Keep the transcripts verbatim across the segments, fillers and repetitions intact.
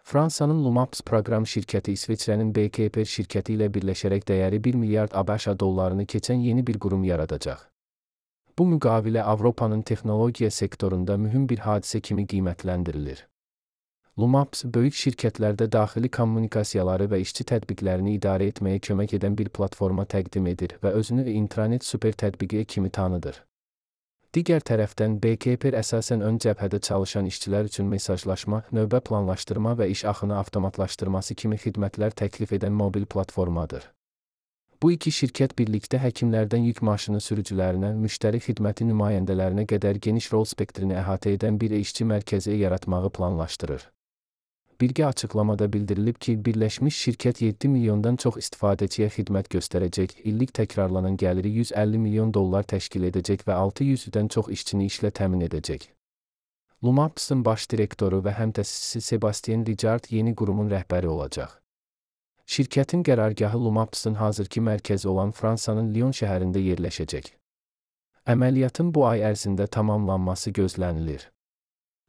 Fransanın Lumaps proqram şirkəti İsveçrənin B K P şirkəti ilə birləşərək dəyəri bir milyard ABŞ dollarını keçən yeni bir qurum yaradacaq. Bu müqavilə Avropanın texnologiya sektorunda mühüm bir hadisə kimi qiymətləndirilir. Lumaps, böyük şirkətlərdə daxili kommunikasiyaları və işçi tətbiqlərini idarə etməyə kömək edən bir platforma təqdim edir və özünü intranet super tətbiqi kimi tanıdır. Digər tərəfdən, B K P əsasən ön cəbhədə çalışan işçilər üçün mesajlaşma, növbə planlaşdırma və iş axını avtomatlaşdırması kimi xidmətlər təklif edən mobil platformadır. Bu iki şirkət birlikdə həkimlərdən yük maşını sürücülərinə, müştəri xidməti nümayəndələrinə qədər geniş rol spektrini əhatə edən bir işçi mərkəzi yaratmağı planlaşdırır. Birgə açıqlamada bildirilib ki, birləşmiş şirkət yeddi milyondan çox istifadəçiyə xidmət göstərəcək, illik təkrarlanan gəliri yüz əlli milyon dollar təşkil edəcək və altı yüzdən çox işçini işlə təmin edəcək. Lumaps'ın baş direktoru və həmtəsisi Sebastien Richard yeni qurumun rəhbəri olacaq. Şirkətin qərargahı Lumaps'ın hazırki mərkəzi olan Fransanın Lyon şəhərində yerləşəcək. Əməliyyatın bu ay ərzində tamamlanması gözlənilir.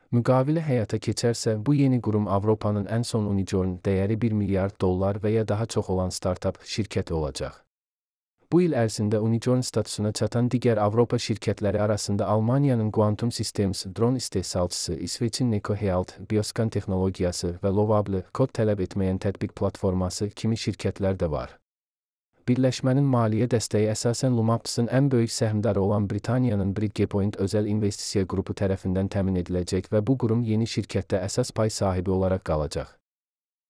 Müqavilə həyata keçərsə, bu yeni qurum Avropanın ən son unicorn, dəyəri bir milyard dollar və ya daha çox olan startap şirkəti olacaq. Bu il ərzində unicorn statusuna çatan digər Avropa şirkətləri arasında Almaniyanın Quantum Systems, dron istehsalçısı, İsveçin Neko Health, Bioscan texnologiyası və Lovable, kod tələb etməyən tətbiq platforması kimi şirkətlər də var. Birləşmənin maliyyə dəstəyi əsasən Lumaps'ın ən böyük səhmdarı olan Britaniyanın Bridgepoint özəl investisiya qrupu tərəfindən təmin ediləcək və bu qurum yeni şirkətdə əsas pay sahibi olaraq qalacaq.